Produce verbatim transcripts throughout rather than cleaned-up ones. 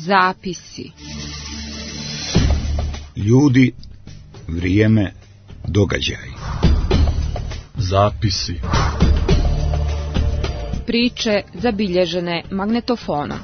Zapisi. Ljudi, vrijeme, događaj. Zapisi. Priče zabilježene magnetofonom.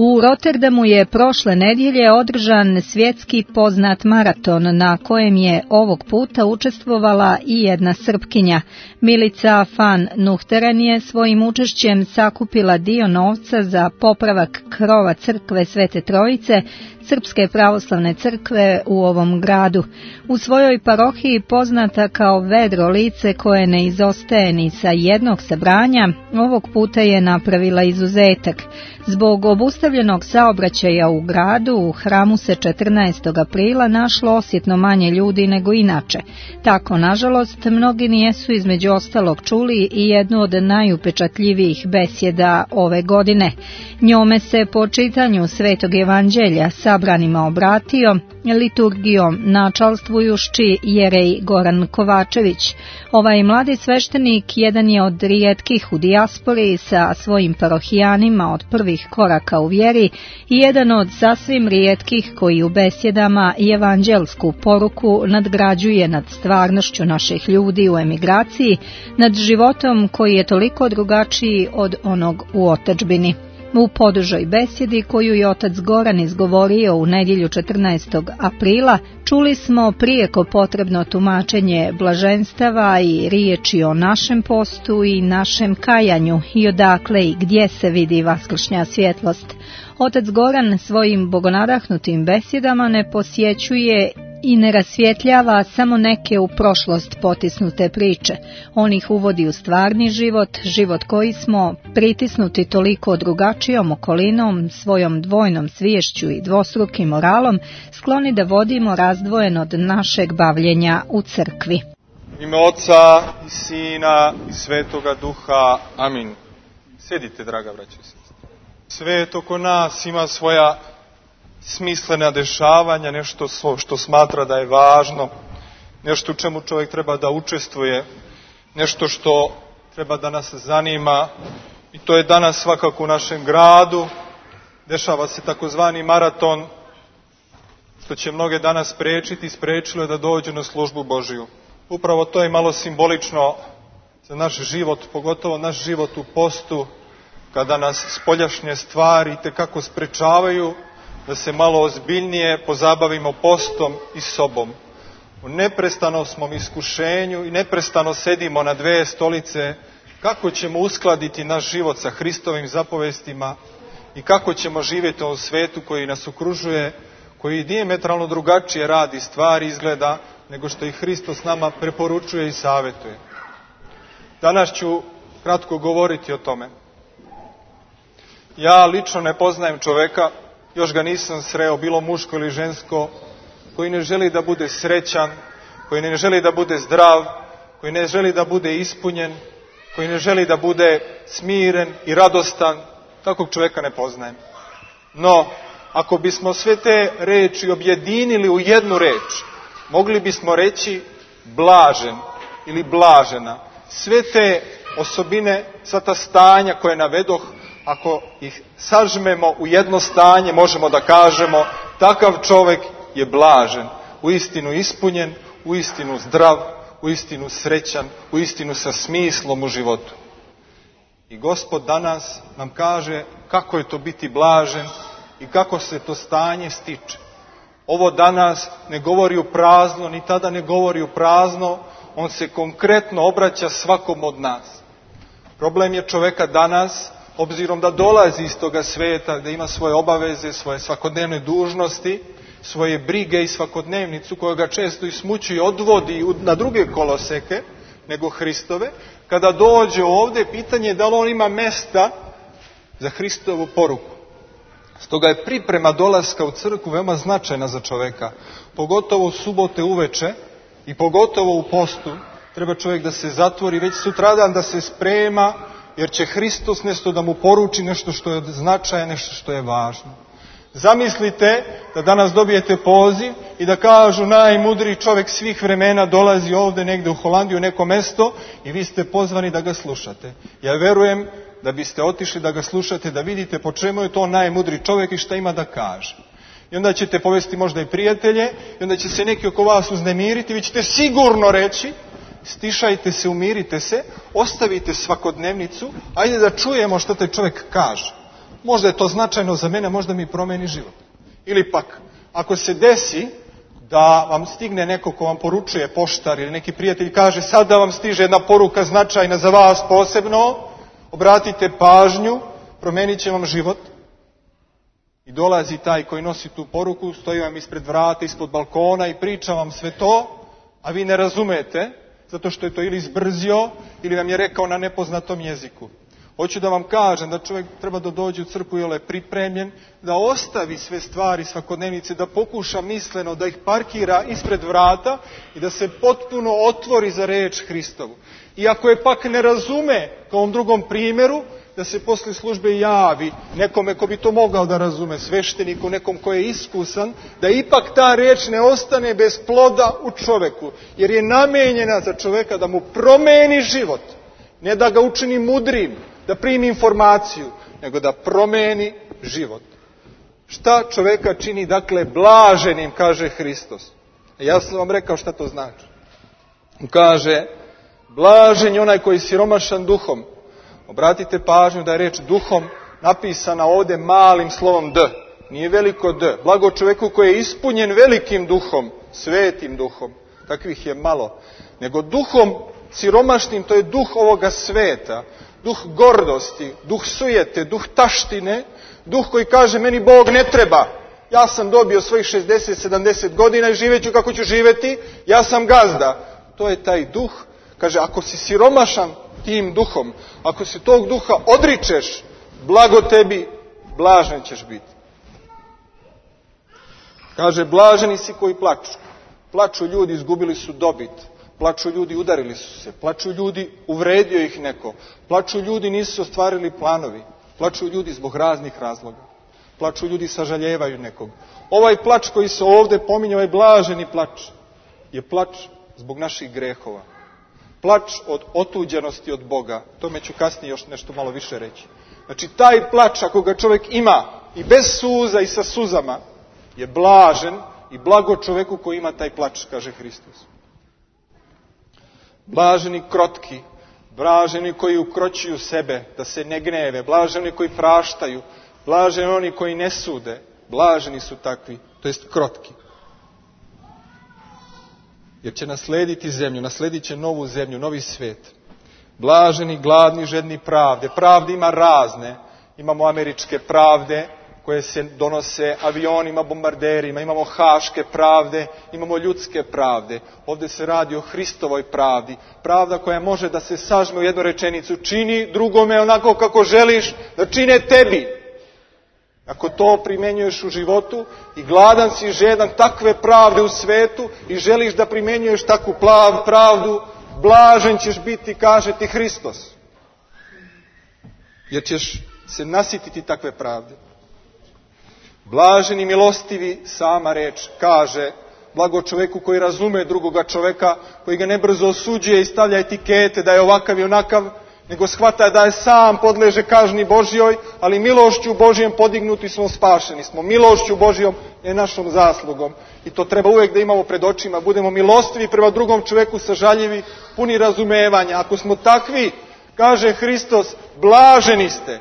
U Rotterdamu je prošle nedjelje održan svjetski poznat maraton na kojem je ovog puta učestvovala i jedna Srpkinja. Milica van Nuchteren je svojim učešćem sakupila dio novca za popravak krova crkve Svete Trojice, Srpske pravoslavne crkve u ovom gradu. U svojoj parohiji poznata kao vedro lice koje ne izostaje ni sa jednog sabranja, ovog puta je napravila izuzetak. Zbog obustavljenog saobraćaja u gradu, u hramu se četrnaestog aprila našlo osjetno manje ljudi nego inače. Tako, nažalost, mnogi nijesu između ostalog čuli i jednu od najupečatljivijih besjeda ove godine. Njome se po čitanju Svetog Evanđelja sabranima obratio, liturgijom načalstvujući jerej Goran Kovačević. Ovaj mladi sveštenik jedan je od rijetkih u dijaspori sa svojim parohijanima od prvih koraka u vjeri i jedan od sasvim rijetkih koji u besjedama evanđelsku poruku nadgrađuje nad stvarnošću naših ljudi u emigraciji, nad životom koji je toliko drugačiji od onog u otadžbini. U podužoj besjedi koju je otac Goran izgovorio u nedjelju četrnaestog aprila, čuli smo prijeko potrebno tumačenje blaženstava i riječi o našem postu i našem kajanju i odakle i gdje se vidi vaskršnja svjetlost. Otac Goran svojim bogonadahnutim besjedama ne posjećuje i ne rasvjetljava samo neke u prošlost potisnute priče. On ih uvodi u stvarni život, život koji smo, pritisnuti toliko drugačijom okolinom, svojom dvojnom sviješću i dvostrukim moralom, skloni da vodimo razdvojen od našeg bavljenja u crkvi. U ime Oca i Sina i Svetoga Duha. Amin. Sjedite, draga braćo i sestre. Svet oko nas ima svoja smislena dešavanja, nešto što smatra da je važno, nešto u čemu čovjek treba da učestvuje, nešto što treba da nas zanima, i to je danas svakako u našem gradu. Dešava se takozvani maraton, što će mnoge danas sprečiti, sprečilo je da dođu na službu Božiju. Upravo to je malo simbolično za naš život, pogotovo naš život u postu, kada nas spoljašnje stvari itekako sprečavaju da se malo ozbiljnije pozabavimo postom i sobom. U neprestanom smo iskušenju i neprestano sedimo na dve stolice kako ćemo uskladiti naš život sa Hristovim zapovestima i kako ćemo živjeti u ovom svetu koji nas okružuje, koji dijametralno drugačije radi stvari, izgleda, nego što i Hristos nama preporučuje i savjetuje. Danas ću kratko govoriti o tome. Ja lično ne poznajem čoveka, još ga nisam sreo, bilo muško ili žensko, koji ne želi da bude srećan, koji ne želi da bude zdrav, koji ne želi da bude ispunjen, koji ne želi da bude smiren i radostan. Takvog čovjeka ne poznajem. No, ako bismo sve te reči objedinili u jednu reč, mogli bismo reći blažen ili blažena. Sve te osobine, sva ta stanja koje navedoh, ako ih sažmemo u jedno stanje, možemo da kažemo takav čovjek je blažen, uistinu ispunjen, uistinu zdrav, uistinu srećan, uistinu sa smislom u životu. I Gospod danas nam kaže kako je to biti blažen i kako se to stanje stiče. Ovo danas ne govori u prazno, ni tada ne govori u prazno, on se konkretno obraća svakom od nas. Problem je čoveka danas, obzirom da dolazi iz toga svijeta, da ima svoje obaveze, svoje svakodnevne dužnosti, svoje brige i svakodnevnicu koja ga često i smući i odvodi na druge koloseke nego Hristove, kada dođe ovdje, pitanje je da li on ima mesta za Hristovu poruku. Stoga je priprema dolaska u crkvu veoma značajna za čoveka, pogotovo u subote uveče i pogotovo u postu. Treba čovjek da se zatvori već sutradan, da se sprema, jer će Hristos nešto da mu poruči, nešto što je značajno, nešto što je važno. Zamislite da danas dobijete poziv i da kažu najmudriji čovjek svih vremena dolazi ovdje negdje u Holandiju, u neko mesto i vi ste pozvani da ga slušate. Ja verujem da biste otišli da ga slušate, da vidite po čemu je to najmudriji čovjek i šta ima da kaže. I onda ćete povesti možda i prijatelje i onda će se neki oko vas uznemiriti, vi ćete sigurno reći stišajte se, umirite se, ostavite svakodnevnicu, ajde da čujemo što taj čovjek kaže. Možda je to značajno za mene, možda mi promeni život. Ili pak, ako se desi da vam stigne neko ko vam poručuje, poštar ili neki prijatelj kaže sad da vam stiže jedna poruka značajna za vas posebno, obratite pažnju, promenit će vam život. I dolazi taj koji nosi tu poruku, stoji vam ispred vrata, ispod balkona i priča vam sve to, a vi ne razumete, zato što je to ili izbrzio, ili vam je rekao na nepoznatom jeziku. Hoću da vam kažem da čovjek treba da dođe u crkvu jer je pripremljen, da ostavi sve stvari svakodnevnice, da pokuša misleno da ih parkira ispred vrata i da se potpuno otvori za reč Hristovu. I ako je pak ne razume, kao u ovom drugom primjeru, da se posle službe javi nekome ko bi to mogao da razume, svešteniku, nekom ko je iskusan, da ipak ta reč ne ostane bez ploda u čoveku, jer je namenjena za čoveka da mu promeni život, ne da ga učini mudrim, da primi informaciju, nego da promeni život. Šta čoveka čini, dakle, blaženim, kaže Hristos. Ja sam vam rekao šta to znači. Kaže, blažen je onaj koji je siromašan duhom. Obratite pažnju da je reč duhom napisana ovdje malim slovom D. Nije veliko D. Blago čovjeku koji je ispunjen velikim duhom, svetim duhom. Takvih je malo. Nego duhom siromašnim, to je duh ovoga sveta. Duh gordosti, duh sujete, duh taštine, duh koji kaže meni Bog ne treba. Ja sam dobio svojih šezdeset sedamdeset godina i živet ću kako ću živjeti, ja sam gazda. To je taj duh. Kaže, ako si siromašan tim duhom, ako se tog duha odričeš, blago tebi, blažen ćeš biti. Kaže, blaženi si koji plaču. Plaču ljudi, izgubili su dobit. Plaču ljudi, udarili su se. Plaču ljudi, uvredio ih neko. Plaču ljudi, nisu ostvarili planovi. Plaču ljudi zbog raznih razloga. Plaču ljudi, sažaljevaju nekog. Ovaj plač koji se ovdje pominje, ovaj blaženi plač, je plač zbog naših grehova. Plač od otuđenosti od Boga. Tome ću kasnije još nešto malo više reći. Znači, taj plač, ako ga čovjek ima i bez suza i sa suzama, je blažen i blago čovjeku koji ima taj plač, kaže Hristos. Blaženi krotki, blaženi koji ukroćuju sebe, da se ne gneve, blaženi koji praštaju, blaženi oni koji ne sude, blaženi su takvi, to jest krotki. Jer će naslediti zemlju, nasledit će novu zemlju, novi svijet. Blaženi, gladni, žedni pravde. Pravde ima razne. Imamo američke pravde koje se donose avionima, bombarderima. Imamo haške pravde, imamo ljudske pravde. Ovdje se radi o Hristovoj pravdi. Pravda koja može da se sažme u jednu rečenicu. Čini drugome onako kako želiš da čine tebi. Ako to primjenjuješ u životu i gladan si, žedan takve pravde u svetu i želiš da primjenjuješ takvu pravdu, blažen ćeš biti, kaže ti Hristos. Jer ćeš se nasititi takve pravde. Blaženi, milostivi, sama reč kaže, blago čovjeku koji razume drugoga čovjeka, koji ga nebrzo osuđuje i stavlja etikete da je ovakav i onakav, nego shvata da je sam podleže kazni Božjoj, ali milošću Božjom podignuti smo, spašeni smo. Milošću Božjom je našom zaslugom. I to treba uvijek da imamo pred očima. Budemo milostivi prema drugom čovjeku, sažaljivi, puni razumevanja. Ako smo takvi, kaže Hristos, blaženi ste.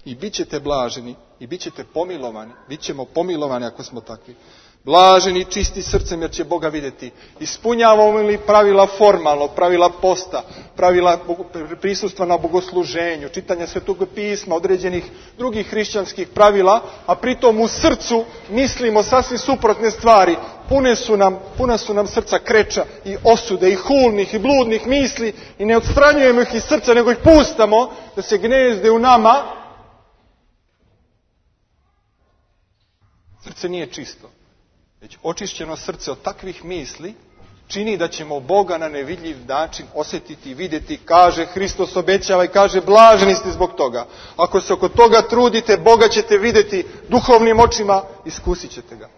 I bit ćete blaženi, i bit ćete pomilovani. Bit ćemo pomilovani ako smo takvi. Blaženi, čisti srcem, jer će Boga vidjeti. Ispunjavamo li pravila formalno, pravila posta, pravila prisustva na bogosluženju, čitanja Svetog pisma, određenih drugih hrišćanskih pravila, a pritom u srcu mislimo sasvim suprotne stvari. Pune su nam, puna su nam srca kreča i osude i hulnih i bludnih misli i ne odstranjujemo ih iz srca, nego ih pustamo da se gnezde u nama. Srce nije čisto. Već očišćeno srce od takvih misli, čini da ćemo Boga na nevidljiv način osjetiti i vidjeti. Kaže, Hristos obećava i kaže, blaženi ste zbog toga. Ako se oko toga trudite, Boga ćete vidjeti duhovnim očima, iskusit ćete ga.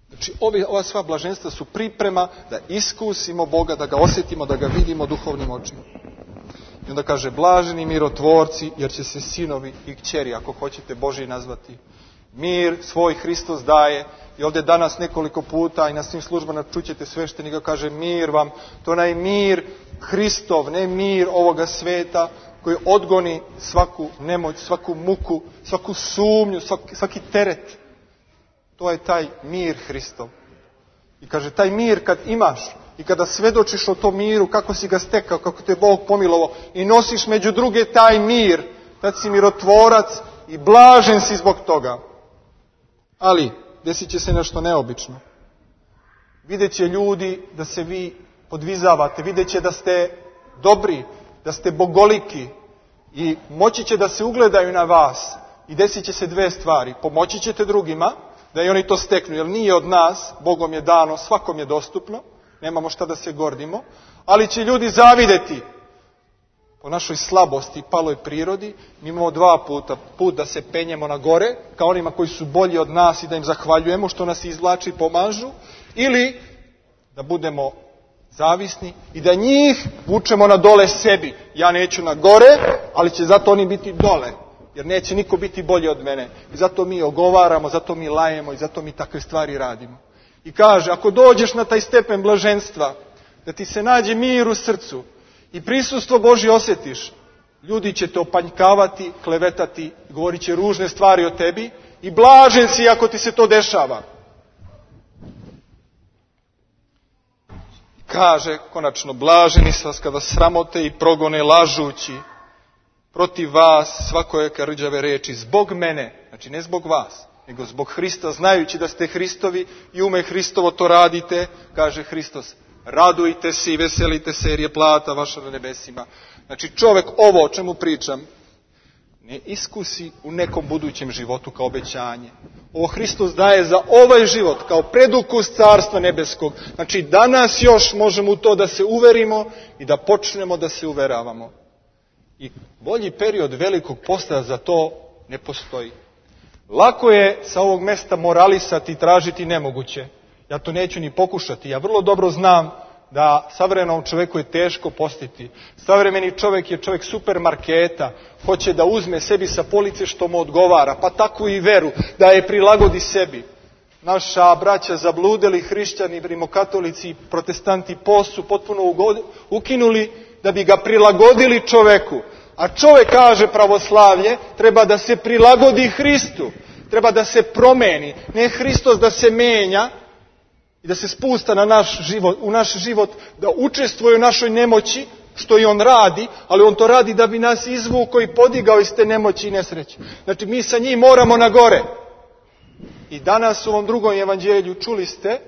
Znači, ove, ova sva blaženstva su priprema da iskusimo Boga, da ga osjetimo, da ga vidimo duhovnim očima. I onda kaže, blaženi mirotvorci, jer će se sinovi i kćeri, ako hoćete, Božji nazvati. Mir svoj Hristos daje. I ovdje danas nekoliko puta i na svim službama čućete sveštenika, kaže, mir vam. To je onaj mir Hristov, ne mir ovoga sveta, koji odgoni svaku nemoć, svaku muku, svaku sumnju, svaki, svaki teret. To je taj mir Hristov. I kaže, taj mir kad imaš i kada svedočiš o tom miru, kako si ga stekao, kako te Bog pomilovao i nosiš među druge taj mir, tad si mirotvorac i blažen si zbog toga. Ali desit će se nešto neobično. Vidjet će ljudi da se vi podvizavate, vidjet će da ste dobri, da ste bogoliki i moći će da se ugledaju na vas. I desit će se dve stvari. Pomoći ćete drugima da i oni to steknu, jer nije od nas, Bogom je dano, svakom je dostupno, nemamo šta da se gordimo, ali će ljudi zavideti po našoj slabosti i paloj prirodi. Mi imamo dva puta. Put da se penjemo na gore, kao onima koji su bolji od nas i da im zahvaljujemo što nas izvlači i pomažu, ili da budemo zavisni i da njih vučemo na dole sebi. Ja neću na gore, ali će zato oni biti dole, jer neće niko biti bolji od mene. I zato mi ogovaramo, zato mi lajemo i zato mi takve stvari radimo. I kaže, ako dođeš na taj stepen blaženstva, da ti se nađe mir u srcu i prisustvo Božje osjetiš, ljudi će te opanjkavati, klevetati, govorit će ružne stvari o tebi i blažen si ako ti se to dešava. Kaže, konačno, blaženi su vas kada sramote i progone lažući protiv vas svakojake rđave reči zbog mene, znači ne zbog vas, nego zbog Hrista, znajući da ste Hristovi i ume Hristovo to radite, kaže Hristos, radujte se i veselite se jer je plata vaša na nebesima. Znači čovjek ovo o čemu pričam ne iskusi u nekom budućem životu kao obećanje. Ovo Hristos daje za ovaj život kao predukus Carstva nebeskog. Znači danas još možemo u to da se uverimo i da počnemo da se uveravamo. I bolji period velikog posta za to ne postoji. Lako je sa ovog mjesta moralisati i tražiti nemoguće. Ja to neću ni pokušati. Ja vrlo dobro znam da savremenom čovjeku je teško postiti. Savremeni čovjek je čovjek supermarketa. Hoće da uzme sebi sa police što mu odgovara. Pa takvu i veru. Da je prilagodi sebi. Naša braća zabludeli, hrišćani, rimokatolici, protestanti post su potpuno ukinuli da bi ga prilagodili čovjeku. A čovjek, kaže pravoslavlje, treba da se prilagodi Hristu. Treba da se promeni. Ne Hristos da se menja i da se spusta na naš život, u naš život, da učestvuje u našoj nemoći, što i on radi, ali on to radi da bi nas izvukao i podigao iz te nemoći i nesreće. Znači mi sa njim moramo na gore. I danas u ovom drugom evanđelju čuli ste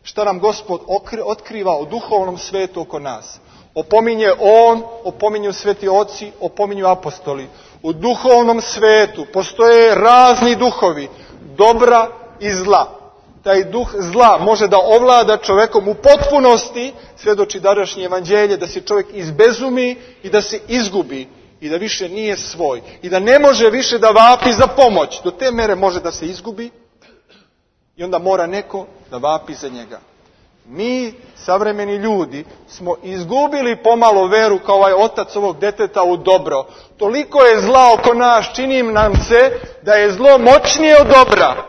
šta nam Gospod otkriva o duhovnom svetu oko nas. Opominje on, opominju sveti oci, opominju apostoli. U duhovnom svetu postoje razni duhovi, dobra i zla. Taj duh zla može da ovlada čovjekom u potpunosti, svjedoči današnje evanđelje, da se čovjek izbezumi i da se izgubi i da više nije svoj. I da ne može više da vapi za pomoć. Do te mere može da se izgubi i onda mora neko da vapi za njega. Mi, savremeni ljudi, smo izgubili pomalo veru kao ovaj otac ovog deteta u dobro. Toliko je zla oko nas, čini nam se da je zlo moćnije od dobra.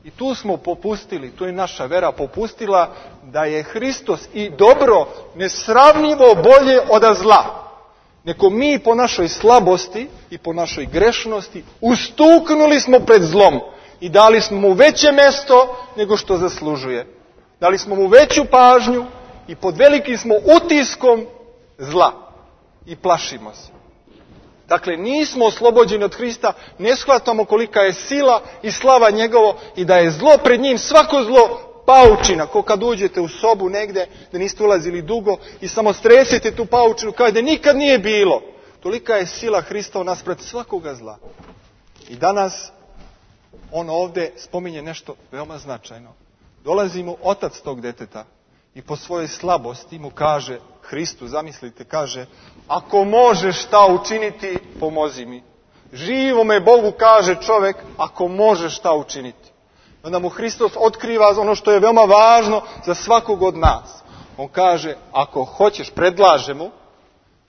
I tu smo popustili, tu je naša vera popustila da je Hristos i dobro nesravnjivo bolje od zla. Neko mi po našoj slabosti i po našoj grešnosti ustuknuli smo pred zlom i dali smo mu veće mesto nego što zaslužuje. Dali smo mu veću pažnju i pod velikim smo utiskom zla i plašimo se. Dakle, nismo oslobođeni od Hrista, ne shvatamo kolika je sila i slava njegovo i da je zlo pred njim, svako zlo paučina. Ko kad uđete u sobu negde, da niste ulazili dugo i samo stresete tu paučinu kao da nikad nije bilo. Tolika je sila Hrista u nas pred svakoga zla. I danas on ovdje spominje nešto veoma značajno. Dolazi mu otac tog deteta i po svojoj slabosti mu kaže Hristu, zamislite, kaže, ako možeš šta učiniti, pomozi mi. Živome Bogu kaže čovjek, ako možeš šta učiniti. Onda mu Hristos otkriva ono što je veoma važno za svakog od nas. On kaže, ako hoćeš, predlaže mu,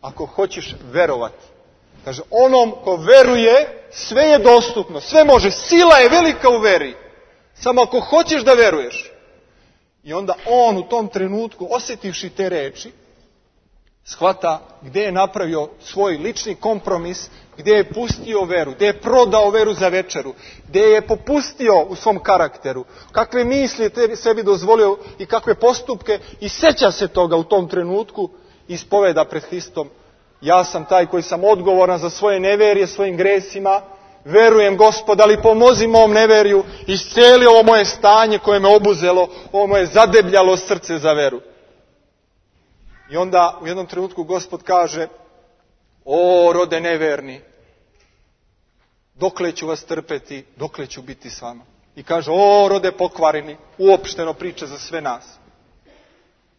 ako hoćeš verovati. Kaže, onom ko veruje, sve je dostupno, sve može, sila je velika u veri. Samo ako hoćeš da veruješ. I onda on u tom trenutku, osjetivši te reči, shvata gdje je napravio svoj lični kompromis, gdje je pustio veru, gdje je prodao veru za večeru, gdje je popustio u svom karakteru, kakve misli je sebi dozvolio i kakve postupke, i sjeća se toga u tom trenutku i ispoveda pred Hristom, ja sam taj koji sam odgovoran za svoje neverije, svojim gresima, verujem Gospod, ali pomozi mom neveriju, iscijeli ovo moje stanje koje me obuzelo, ovo moje zadebljalo srce za veru. I onda u jednom trenutku Gospod kaže, o rode neverni, dokle ću vas trpeti, dokle ću biti s vama. I kaže, o rode pokvareni, uopšteno priča za sve nas.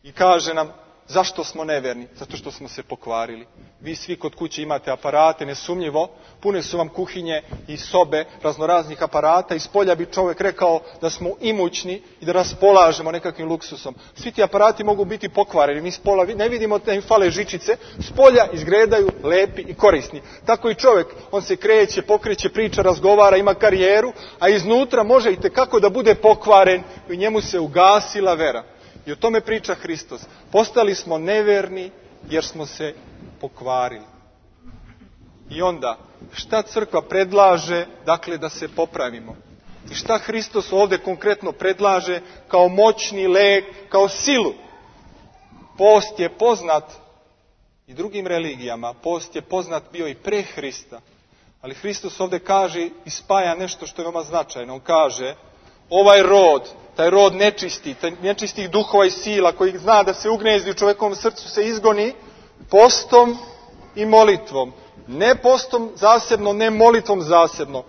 I kaže nam, zašto smo neverni? Zato što smo se pokvarili. Vi svi kod kuće imate aparate, nesumnjivo, pune su vam kuhinje i sobe raznoraznih aparata, i spolja bi čovjek rekao da smo imućni i da raspolažemo nekakvim luksusom. Svi ti aparati mogu biti pokvareni, mi spola ne vidimo da im fale žičice, spolja izgledaju lepi i korisni. Tako i čovjek, on se kreće, pokreće, priča, razgovara, ima karijeru, a iznutra može i tekako da bude pokvaren i njemu se ugasila vera. I o tome priča Hristos. Postali smo neverni jer smo se pokvarili. I onda, šta crkva predlaže, dakle, da se popravimo? I šta Hristos ovdje konkretno predlaže kao moćni lek, kao silu? Post je poznat i drugim religijama, post je poznat bio i pre Hrista. Ali Hristos ovdje kaže i spaja nešto što je veoma značajno. On kaže, ovaj rod, taj rod nečisti, taj nečistih duhova i sila koji zna da se ugnezdi u čovjekovom srcu, se izgoni postom i molitvom. Ne postom zasebno, ne molitvom zasebno.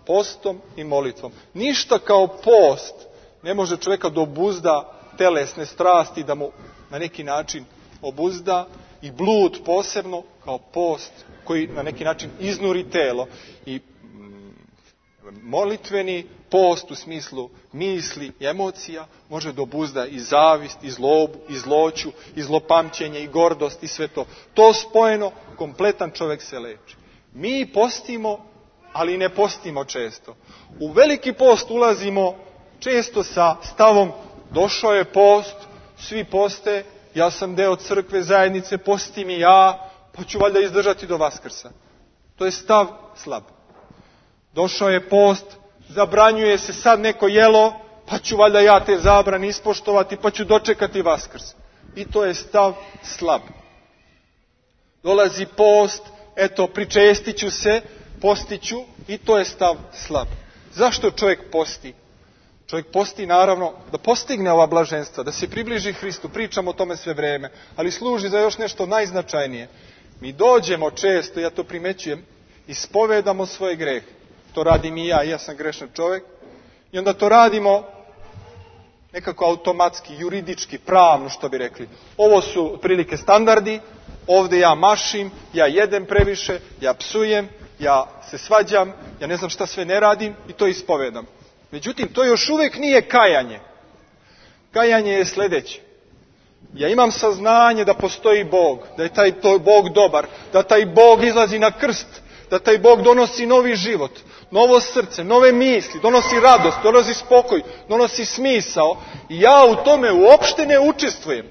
Postom i molitvom. Ništa kao post ne može čovjeka da obuzda telesne strasti, da mu na neki način obuzda, i blud posebno kao post koji na neki način iznuri telo. I molitveni post u smislu misli i emocija može da obuzda i zavist, i zlobu, i zloću, i zlopamćenje, i gordost, i sve to. To spojeno, kompletan čovjek se leči. Mi postimo, ali ne postimo često. U veliki post ulazimo često sa stavom, došao je post, svi poste, ja sam deo crkve, zajednice, postim i ja, pa ću valjda izdržati do Vaskrsa. To je stav slab. Došao je post, zabranjuje se sad neko jelo, pa ću valjda ja te zabrane ispoštovati, pa ću dočekati Vaskrs. I to je stav slab. Dolazi post, eto, pričestit ću se, postiću, i to je stav slab. Zašto čovjek posti? Čovjek posti naravno da postigne ova blaženstva, da se približi Hristu, pričamo o tome sve vreme, ali služi za još nešto najznačajnije. Mi dođemo često, ja to primećujem, ispovedamo svoje grehe. To radim i ja, ja sam grešan čovjek. I onda to radimo nekako automatski, juridički, pravno, što bi rekli. Ovo su prilike standardi, ovdje ja mašim, ja jedem previše, ja psujem, ja se svađam, ja ne znam šta sve ne radim i to ispovedam. Međutim, to još uvijek nije kajanje. Kajanje je sljedeće. Ja imam saznanje da postoji Bog, da je taj Bog dobar, da taj Bog izlazi na krst, da taj Bog donosi novi život, novo srce, nove misli, donosi radost, donosi spokoj, donosi smisao. I ja u tome uopšte ne učestvujem.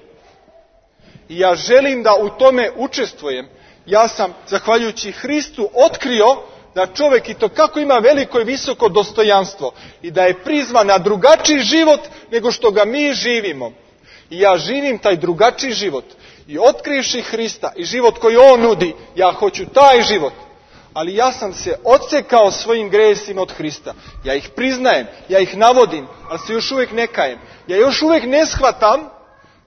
I ja želim da u tome učestvujem. Ja sam, zahvaljujući Hristu, otkrio da čovjek i to kako ima veliko i visoko dostojanstvo i da je prizvan na drugačiji život nego što ga mi živimo. I ja živim taj drugačiji život. I otkrivši Hrista i život koji on nudi, ja hoću taj život. Ali ja sam se odsekao svojim gresima od Hrista. Ja ih priznajem, ja ih navodim, ali se još uvijek ne kajem. Ja još uvijek ne shvatam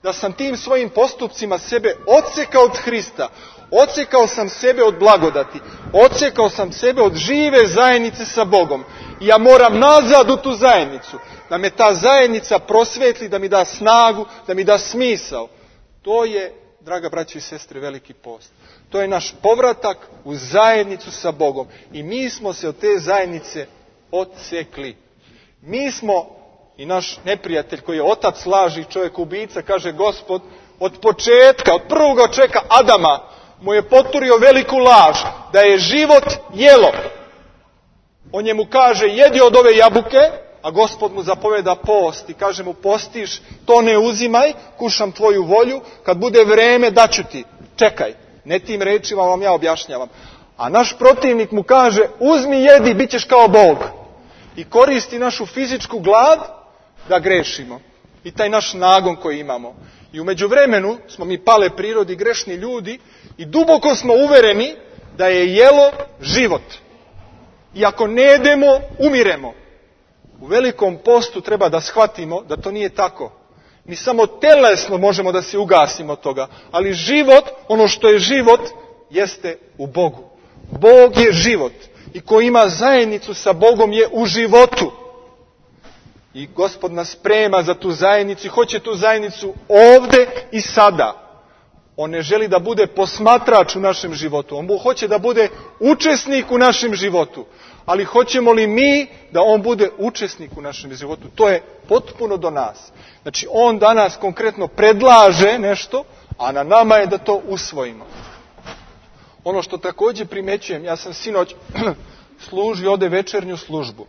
da sam tim svojim postupcima sebe odsekao od Hrista, odsekao sam sebe od blagodati, odsekao sam sebe od žive zajednice sa Bogom. I ja moram nazad u tu zajednicu, da me ta zajednica prosvetli, da mi da snagu, da mi da smisao. To je, draga braćo i sestre, veliki post. To je naš povratak u zajednicu sa Bogom. I mi smo se od te zajednice odsekli. Mi smo, i naš neprijatelj koji je otac laži, čovjek ubica, kaže Gospod, od početka, od prvoga čovjeka Adama, mu je poturio veliku laž, da je život jelo. On njemu kaže, jedi od ove jabuke, a Gospod mu zapoveda post i kaže mu, postiš, to ne uzimaj, kušam tvoju volju, kad bude vreme daću ti, čekaj. Ne tim rečima vam ja objašnjavam. A naš protivnik mu kaže, uzmi, jedi, bit ćeš kao Bog. I koristi našu fizičku glad da grešimo. I taj naš nagon koji imamo. I u međuvremenu smo mi pale prirodi, grešni ljudi, i duboko smo uvereni da je jelo život. I ako ne jedemo, umiremo. U velikom postu treba da shvatimo da to nije tako. Mi samo telesno možemo da se ugasimo od toga. Ali život, ono što je život, jeste u Bogu. Bog je život. I ko ima zajednicu sa Bogom je u životu. I Gospod nas sprema za tu zajednicu i hoće tu zajednicu ovde i sada. On ne želi da bude posmatrač u našem životu. On hoće da bude učesnik u našem životu. Ali hoćemo li mi da on bude učesnik u našem životu? To je potpuno do nas. Znači, on danas konkretno predlaže nešto, a na nama je da to usvojimo. Ono što također primećujem, ja sam sinoć služio ovdje večernju službu.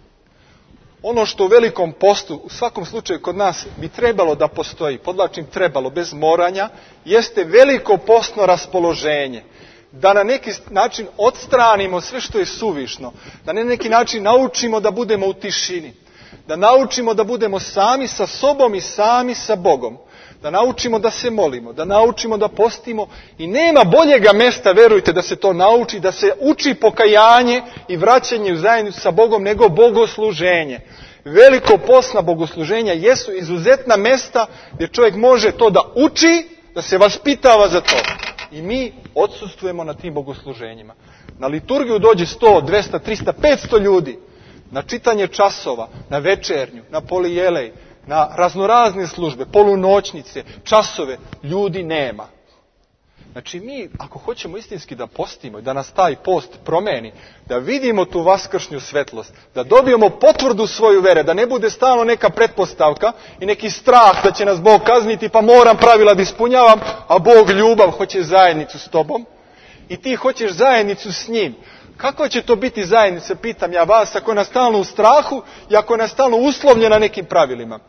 Ono što u velikom postu, u svakom slučaju kod nas, bi trebalo da postoji, podlačim trebalo, bez moranja, jeste veliko postno raspoloženje. Da na neki način odstranimo sve što je suvišno. Da na neki način naučimo da budemo u tišini. Da naučimo da budemo sami sa sobom i sami sa Bogom. Da naučimo da se molimo, da naučimo da postimo. I nema boljega mesta, verujte, da se to nauči, da se uči pokajanje i vraćanje u zajednicu sa Bogom, nego bogosluženje. Veliko postna bogosluženja jesu izuzetna mesta gdje čovjek može to da uči, da se vaspitava za to. I mi odsustvujemo na tim bogosluženjima. Na liturgiju dođe sto, dvesta, trista, petsto ljudi. Na čitanje časova, na večernju, na polijelej, na raznorazne službe, polunoćnice, časove, ljudi nema. Znači mi, ako hoćemo istinski da postimo i da nas taj post promeni, da vidimo tu vaskršnju svetlost, da dobijemo potvrdu svoju vere, da ne bude stalno neka pretpostavka i neki strah da će nas Bog kazniti, pa moram pravila da ispunjavam, a Bog ljubav hoće zajednicu s tobom i ti hoćeš zajednicu s njim. Kako će to biti zajednica, pitam ja vas, ako je nas stalno u strahu i ako je nas stalno uslovljena nekim pravilima?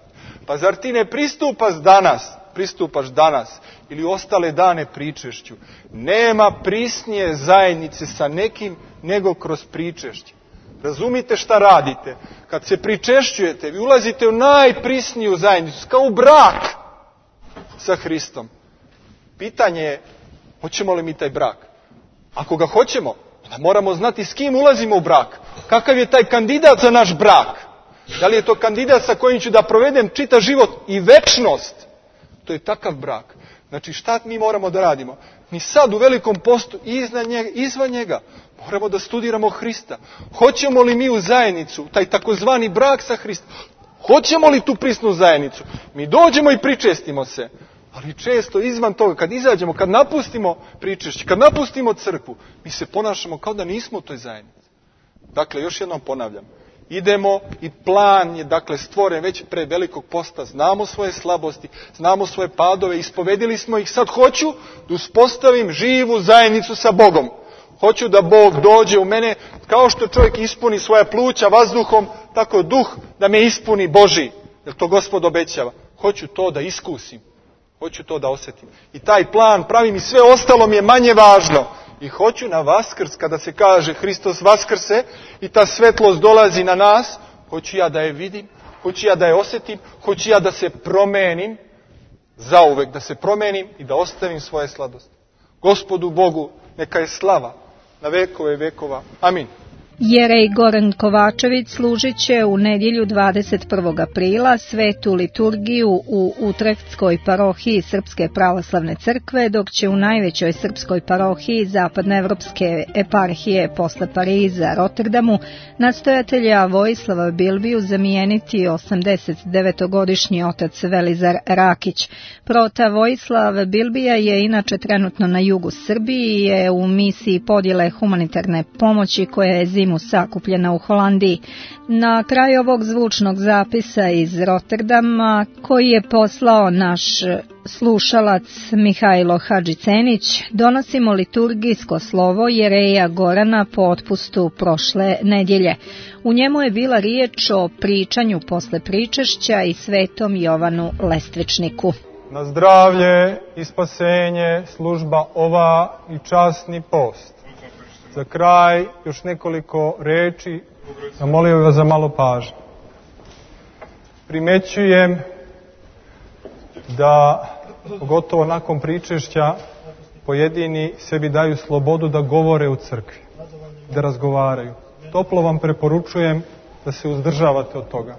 Pa zar ti ne pristupaš danas, pristupaš danas ili ostale dane pričešću? Nema prisnije zajednice sa nekim nego kroz pričešće. Razumite šta radite? Kad se pričešćujete, vi ulazite u najprisniju zajednicu, kao u brak sa Hristom. Pitanje je, hoćemo li mi taj brak? Ako ga hoćemo, onda moramo znati s kim ulazimo u brak. Kakav je taj kandidat za naš brak? Da li je to kandidat sa kojim ću da provedem čitav život i večnost? To je takav brak. Znači šta mi moramo da radimo? Mi sad u velikom postu iznad njega, izvan njega moramo da studiramo Hrista. Hoćemo li mi u zajednicu, taj takozvani brak sa Hristom? Hoćemo li tu prisnu zajednicu? Mi dođemo i pričestimo se. Ali često izvan toga, kad izađemo, kad napustimo pričešće, kad napustimo crkvu, mi se ponašamo kao da nismo u toj zajednici. Dakle, još jednom ponavljam. Idemo i plan je dakle stvoren već pre velikog posta. Znamo svoje slabosti, znamo svoje padove, ispovedili smo ih. Sad hoću da uspostavim živu zajednicu sa Bogom. Hoću da Bog dođe u mene, kao što čovjek ispuni svoja pluća vazduhom, tako duh da me ispuni Božji. Jer to Gospod obećava. Hoću to da iskusim. Hoću to da osjetim. I taj plan pravim i sve ostalo mi je manje važno. I hoću na Vaskrs, kada se kaže Hristos vaskrse i ta svetlost dolazi na nas, hoću ja da je vidim, hoću ja da je osjetim, hoću ja da se promenim, zauvek da se promenim i da ostavim svoje sladosti. Gospodu Bogu neka je slava na vekove vekova. Amin. Jerej Goran Kovačević služit će u nedjelju dvadeset prvog aprila svetu liturgiju u Utrechtskoj parohiji Srpske pravoslavne crkve, dok će u najvećoj srpskoj parohiji zapadnoevropske eparhije posle Pariza, Rotterdamu, nastojatelja Vojislava Bilbiju zamijeniti osamdeset devetogodišnji otac Velizar Rakić. Prota Vojislav Bilbija je inače trenutno na jugu Srbiji i je u misiji podjele humanitarne pomoći koja je zimu sakupljena u Holandiji. Na kraju ovog zvučnog zapisa iz Rotterdama, koji je poslao naš slušalac Mihajlo Hadžicenić, donosimo liturgijsko slovo Jereja Gorana po otpustu prošle nedjelje. U njemu je bila riječ o pričanju posle pričešća i svetom Jovanu Lestvičniku. Na zdravlje i spasenje služba ova i časni post. Za kraj još nekoliko reči, zamolio bih vas za malo pažnje. Primećujem da, pogotovo nakon pričešća, pojedini sebi daju slobodu da govore u crkvi, da razgovaraju. Toplo vam preporučujem da se uzdržavate od toga.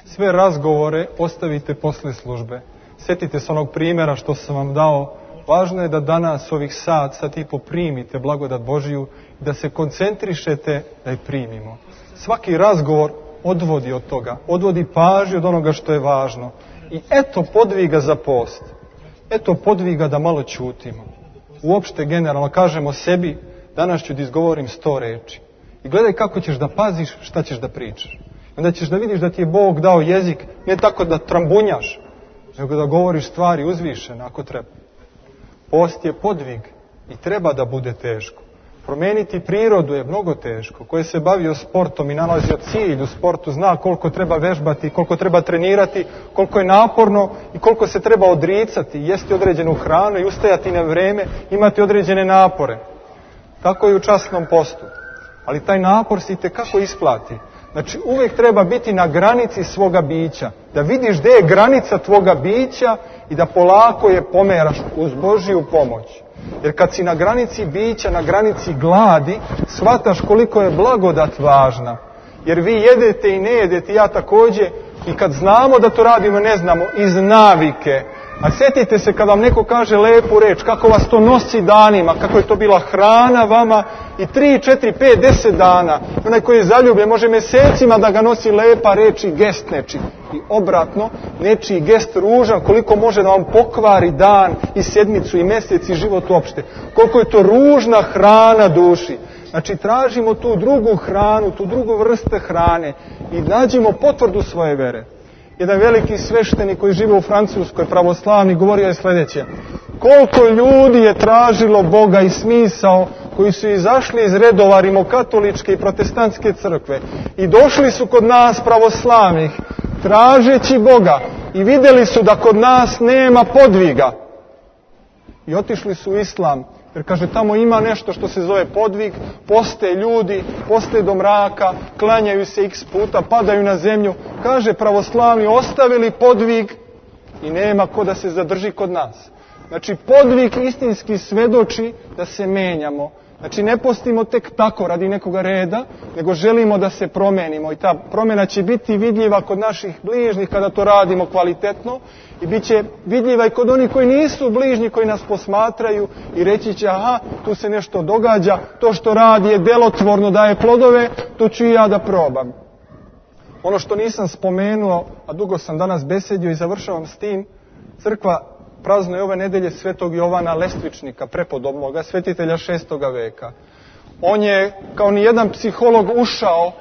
Sve razgovore ostavite posle službe. Sjetite se onog primjera što sam vam dao. Važno je da danas ovih sat, sat i po primite blagodat Božiju i da se koncentrišete da je primimo. Svaki razgovor odvodi od toga, odvodi pažnju od onoga što je važno. I eto podviga za post. Eto podviga da malo ćutimo. Uopšte generalno kažemo sebi, danas ću da izgovorim sto reči. I gledaj kako ćeš da paziš, šta ćeš da pričaš. Onda ćeš da vidiš da ti je Bog dao jezik, ne tako da trambunjaš, nego da govoriš stvari uzvišene ako treba. Post je podvig i treba da bude teško. Promeniti prirodu je mnogo teško. Ko je se bavio sportom i nalazio cilj u sportu, zna koliko treba vežbati, koliko treba trenirati, koliko je naporno i koliko se treba odricati, jesti određenu hranu i ustajati na vreme, imati određene napore. Tako je u časnom postu. Ali taj napor se itekako isplati. Znači uvijek treba biti na granici svoga bića. Da vidiš gdje je granica tvoga bića i da polako je pomeraš uz Božiju pomoć. Jer kad si na granici bića, na granici gladi, shvataš koliko je blagodat važna. Jer vi jedete i ne jedete, ja također, i kad znamo da to radimo, ne znamo, iz navike. A sjetite se kad vam neko kaže lepu reč, kako vas to nosi danima, kako je to bila hrana vama i tri, četiri, pet, deset dana. Onaj koji je zaljubljen može mjesecima da ga nosi lepa reč i gest nečiji. I obratno, nečiji gest ružan, koliko može da vam pokvari dan i sedmicu i mjesec i život uopšte. Koliko je to ružna hrana duši. Znači tražimo tu drugu hranu, tu drugu vrstu hrane i nađimo potvrdu svoje vere. Jedan veliki sveštenik koji žive u Francuskoj, pravoslavni, govorio je sljedeće. Koliko ljudi je tražilo Boga i smisao koji su izašli iz redova rimokatoličke i protestantske crkve i došli su kod nas pravoslavnih tražeći Boga i vidjeli su da kod nas nema podviga. I otišli su u islam. Jer kaže, tamo ima nešto što se zove podvig, poste ljudi, poste do mraka, klanjaju se x puta, padaju na zemlju. Kaže, pravoslavni ostavili podvig i nema ko da se zadrži kod nas. Znači, podvig istinski svedoči da se menjamo. Znači, ne postimo tek tako radi nekoga reda, nego želimo da se promenimo. I ta promjena će biti vidljiva kod naših bližnjih kada to radimo kvalitetno. I bit će vidljiva i kod onih koji nisu bližnji, koji nas posmatraju i reći će, aha, tu se nešto događa, to što radi je delotvorno, daje plodove, to ću i ja da probam. Ono što nisam spomenuo, a dugo sam danas besedio i završavam s tim, crkva praznuje ove nedelje svetog Jovana Lestvičnika, prepodobnoga svetitelja šestoga veka. On je, kao ni jedan psiholog, ušao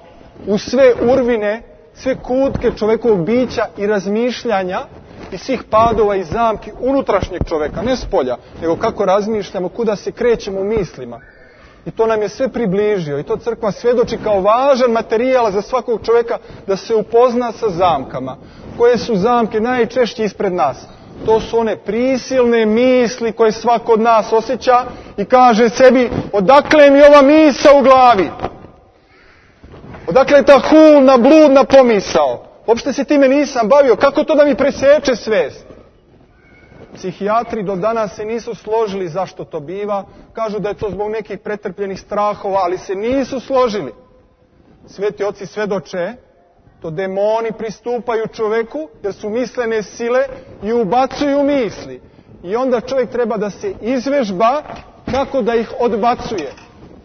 u sve urvine, sve kutke čovjekovog bića i razmišljanja i svih padova i zamki unutrašnjeg čovjeka, ne spolja, nego kako razmišljamo, kuda se krećemo u mislima. I to nam je sve približio i to crkva svjedoči kao važan materijal za svakog čovjeka da se upozna sa zamkama. Koje su zamke najčešće ispred nas? To su one prisilne misli koje svako od nas osjeća i kaže sebi, odakle mi ova misa u glavi? Odakle je ta hulna, bludna pomisao? Uopšte se time nisam bavio. Kako to da mi preseče svest? Psihijatri do danas se nisu složili zašto to biva. Kažu da je to zbog nekih pretrpljenih strahova, ali se nisu složili. Sveti oci svedoče, to demoni pristupaju čoveku, jer su mislene sile i ubacuju misli. I onda čovjek treba da se izvežba kako da ih odbacuje.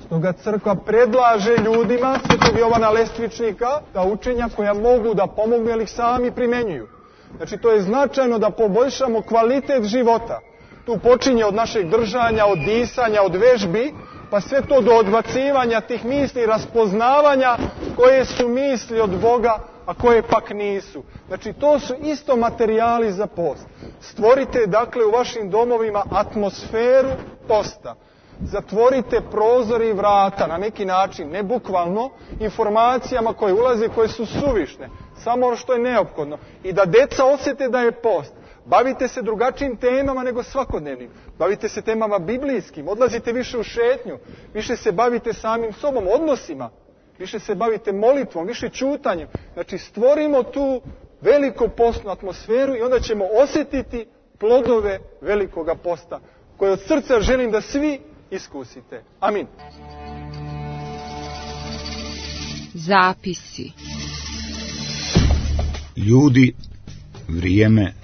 Stoga crkva predlaže ljudima, Svetog Jovana Lestvičnika, ta učenja koja mogu da pomognu, jer ih sami primenjuju. Znači, to je značajno da poboljšamo kvalitet života. Tu počinje od našeg držanja, od disanja, od vežbi, pa sve to do odbacivanja tih misli, raspoznavanja koje su misli od Boga, a koje pak nisu. Znači, to su isto materijali za post. Stvorite, dakle, u vašim domovima atmosferu posta. Zatvorite prozor i vrata na neki način, ne bukvalno, informacijama koje ulaze, koje su suvišne. Samo ono što je neophodno. I da deca osjete da je post. Bavite se drugačijim temama nego svakodnevnim. Bavite se temama biblijskim. Odlazite više u šetnju. Više se bavite samim sobom, odnosima. Više se bavite molitvom, više ćutanjem. Znači, stvorimo tu veliku postnu atmosferu i onda ćemo osjetiti plodove velikoga posta, koje od srca želim da svi iskusite. Amin. Zapisi. Ljudi, vrijeme,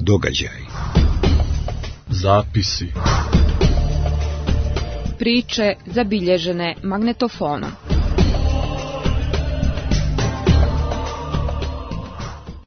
događaj. Zapisi. Priče zabilježene magnetofonom.